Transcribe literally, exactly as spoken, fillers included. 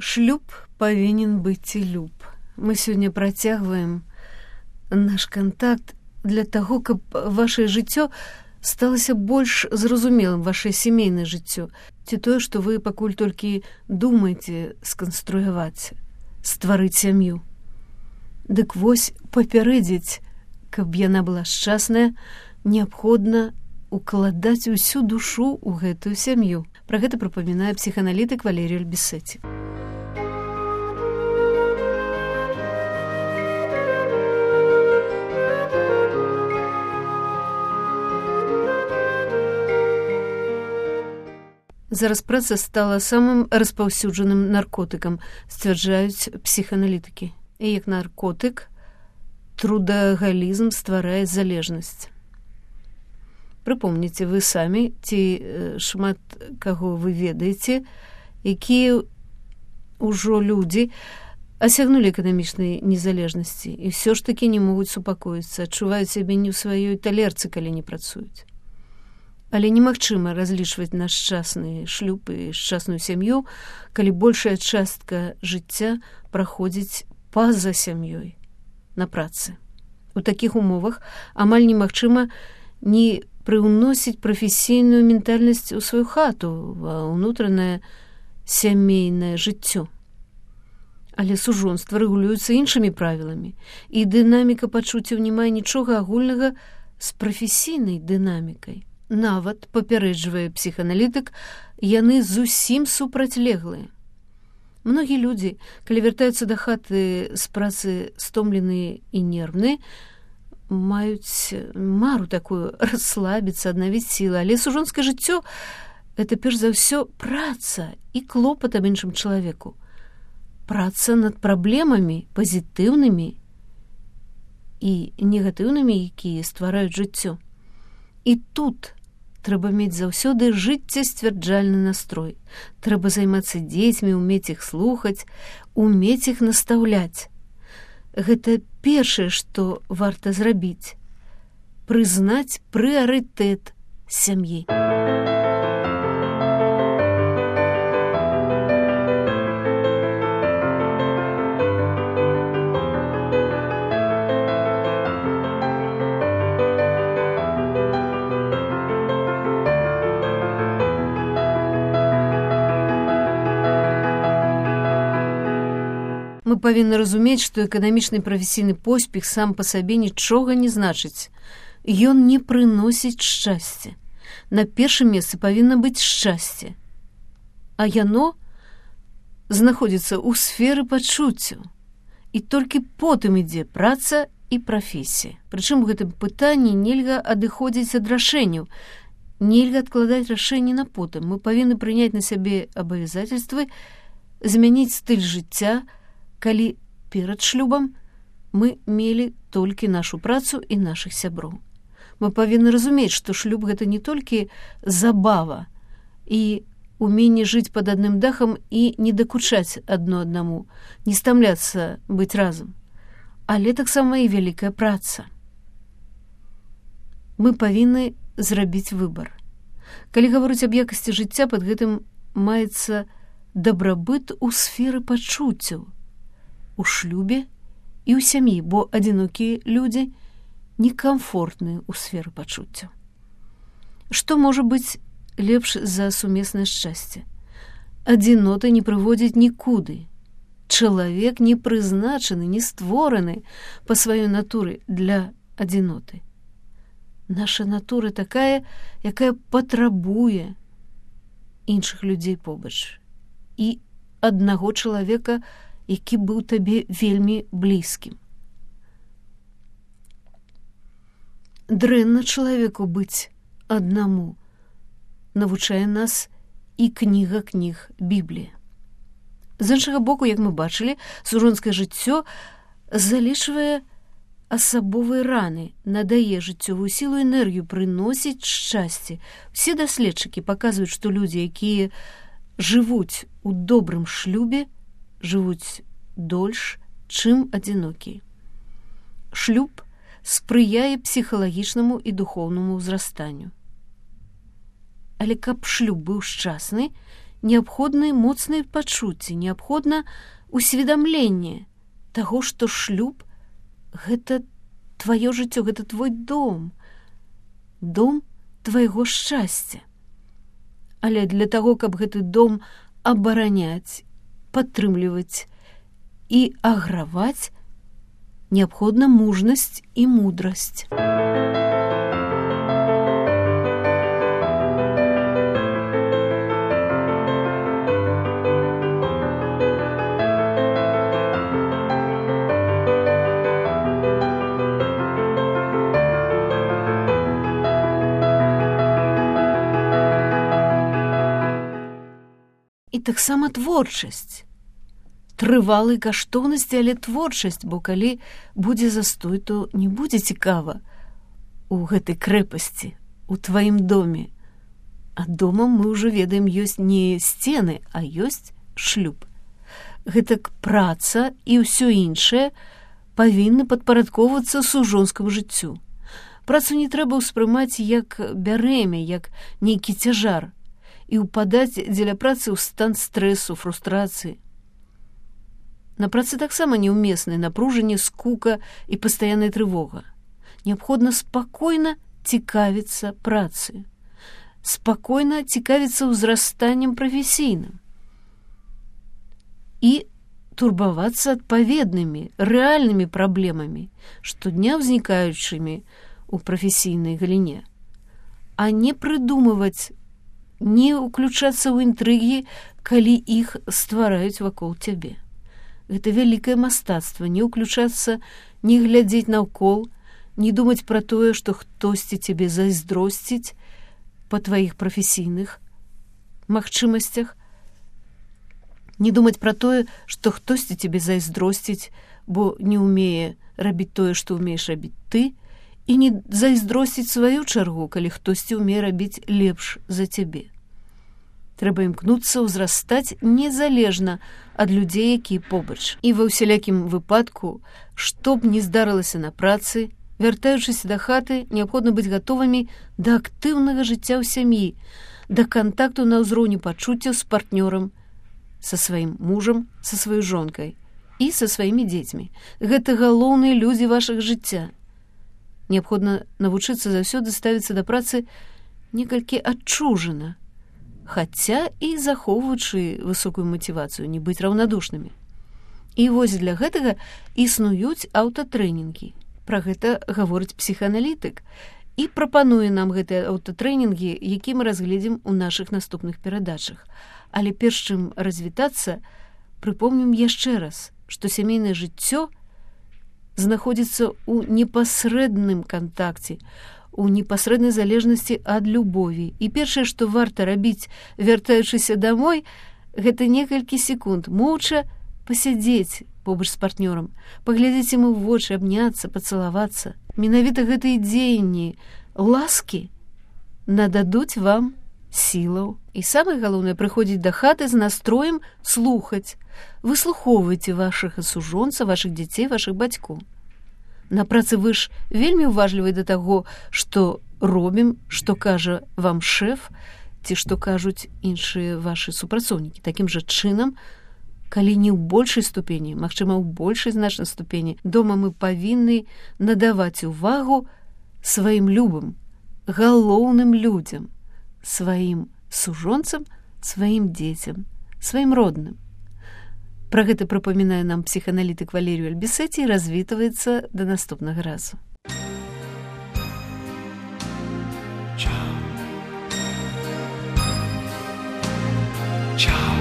Шлюб павінен быць і люб. Мы сёння працягваем наш кантакт для таго, каб вашае жыццё сталася больш зразумелым, вашае сямейнае жыццё, ці тое, што вы пакуль толькі думаеце сканструяваць, стварыць сям'ю. Дык вось папярэдзіць, каб яна была шчасная, неабходна укладаць усю душу ў гэтую сям'ю. Пра гэта прапамінае псіхааналітык Валерій Альбісеці. Зараз праца стала самым распаўсюджаным наркотыкам, сцвярджаюць псіхааналітыкі. І як наркотык, трудагалізм стварае залежнасць. Прыпомніце вы самі, ці шмат каго вы ведаеце, якія ўжо людзі асягнулі эканамічнай незалежнасці і ўсё ж такі не могуць супакоіцца, адчуваюць сябе не ў сваёй талерцы, калі не працуюць. Але немагчыма разлічваць на шчасны шлюб і шчасную сям'ю, калі большая частка жыцця праходзіць па-за сям'ёй, на працы. У такіх умовах амаль немагчыма не прыўносіць прафесійную ментальнасць у сваю хату, ва ўнутранае сямейнае жыццё. Але сужонства рэгулюецца іншымі правіламі, і дынаміка пачуццяў не мае нічога агульнага з прафесійнай дынамікай. Нават, папярэджвае псіхааналітык, яны зусім супрацьлеглыя. Многія людзі, калі вяртаюцца да хаты з працы стомленыя і нервныя, маюць мару такую расслабіцца, аднавіць сілы, але сужонскае жыццё – гэта перш за ўсё праца і клопат аб іншым чалавеку. Праца над праблемамі пазітыўнымі і негатыўнымі, якія ствараюць жыццё. І тут трэба мець заўсёды жыццесцвярджальны настрой. Трэба займацца дзецьмі, умець іх слухаць, умець іх настаўляць. Гэта першае, што варта зрабіць. Прызнаць прыярытэт сям'і. Мы павінны разумець, што эканамічны прафесійны поспех сам па сабе нічога не значыць. Ён не прыносіць шчасця. На першым месцы павінна быць шчасце. А яно знаходзіцца ў сферы пачуццяў. І толькі потым ідзе праца і прафесія. Прычым у гэтым пытанні нельга адыходзіць ад рашэнняў. Нельга адкладаць рашэнні на потым. Мы павінны прыняць на сябе абавязацельствы, змяніць стыль жыцця, калі перад шлюбам мы мелі толькі нашу працу і нашых сяброў. Мы павінны разумець, што шлюб гэта не толькі забава і уменне жыць пад адным дахам і не дакучаць адно аднаму, не стамляцца быць разам, але таксама і вялікая праца. Мы павінны зрабіць выбар. Калі гаворыць аб якасці жыцця, пад гэтым маецца дабрабыт у сферы пачуццяў, у шлюбе і ў сям'і, бо адзінокія людзі некамфортныя ў сферы пачуццяў. Што можа быць лепш за сумеснае шчасце? Адзінота не прыводзіць нікуды. Чалавек не прызначаны, не створаны па сваёй натуры для адзіноты. Наша натура такая, якая патрабуе іншых людзей побач. І аднаго чалавека, які быў табе вельмі блізкім. Дрэнна чалавеку быць аднаму, навучае нас і кніга кніг Біблія. З іншага боку, як мы бачылі, сужонскае жыццё залічвае асабовыя раны, надае жыццёвую сілу і энергію, прыносіць шчасце. Усе даследчыкі паказваюць, што людзі, якія жывуць у добрым шлюбе, жывуць дольш, чым адзінокія. Шлюб спрыяе псіхалагічнаму і духоўнаму ўзрастанню. Але каб шлюб быў шчасны, неабходны моцныя пачуцці, неабходна усведамленне таго, што шлюб — гэта тваё жыццё, гэта твой дом, дом твайго шчасця. Але для таго, каб гэты дом абараняць, падтрымліваць і аграваць, неабходна мужнасць і мудрасць. І таксама творчасць. Трывалай каштоўнасці, але творчасць, бо калі будзе застой, то не будзе цікава у гэтай крэпасці, у тваім доме. А домам, мы ўжо ведаем, ёсць не сцены, а ёсць шлюб. Гэтак праца і ўсё іншае павінны падпарадкоўвацца сужонскаму жыццю. Працу не трэба ўспрымаць як бярэмя, як нейкі цяжар, і ўпадаць дзеля працы ў стан стрэсу, фрустрацыі. На працы таксама неўмеснае напружанне, скука і пастаянная трывога. Неабходна спакойна цікавіцца працай, спакойна цікавіцца ўзрастаннем прафесійным і турбавацца адпаведнымі, рэальнымі праблемамі, штодня ўзнікаючымі ў прафесійнай галіне, а не прыдумваць, не ўключацца ў інтрыгі, калі іх ствараюць вакол цябе. Гэта вялікае мастацтва, не ўключацца, не глядзець наўкол, не думаць пра тое, што хтосьці цябе зайздросціць па тваіх прафесійных магчымасцях, не думаць пра тое, што хтосьці цябе зайздросціць, бо не ўмее рабіць тое, што ўмееш рабіць ты, і не зайздросціць сваю чаргу, калі хтосьці ўмее рабіць лепш за цябе. Трэба імкнуцца ўзрастаць незалежна ад людзей, якія побач. І ва ўсялякім выпадку, што б ні здарылася на працы, вяртаючыся да хаты, неабходна быць гатовымі да актыўнага жыцця ў сям'і, да кантакту на ўзроўні пачуццяў з партнёрам, са сваім мужам, са сваёй жонкай і са сваімі дзецьмі. Гэта галоўныя людзі вашага жыцця. Неабходна навучыцца заўсёды ставіцца да працы некалькі адчужана, хаця і захоўваючы высокую матывацыю, не быць раўнадушнымі. І вось для гэтага існуюць аўтатрэнінгі. Пра гэта гаворыць псіхааналітык і прапануе нам гэтыя аўтатрэнінгі, які мы разгледзім у нашых наступных перадачах. Але перш чым развітацца, прыпомнім яшчэ раз, што сямейнае жыццё знаходзіцца ў непасрэдным кантакце, у непасрэднай залежнасці ад любові. І першае, што варта рабіць, вяртаючыся дамой, гэта некалькі секунд моўча пасядзець побач з партнёрам, паглядзець яму ў вочы, абняцца, пацалавацца. Менавіта гэтыя дзеянні ласкі нададуць вам сілаў. І самае галоўнае, прыходзіць да хаты з настроем слухаць. Выслухоўвайце вашага сужонца, вашых дзяцей, вашых бацькоў. На працы вы ж вельмі ўважлівы да таго, што робім, што кажа вам шэф, ці што кажуць іншыя вашы супрацоўнікі. Такім жа чынам, калі не ў большай ступені, магчыма, ў большай значнай ступені, дома мы павінны надаваць увагу сваім любым, галоўным людзям, сваім сужонцам, сваім дзецям, сваім родным. Пра гэта прыпамінае нам псіхааналітык Валерію Альбісеці і развітваецца да наступнага разу. Ciao. Ciao.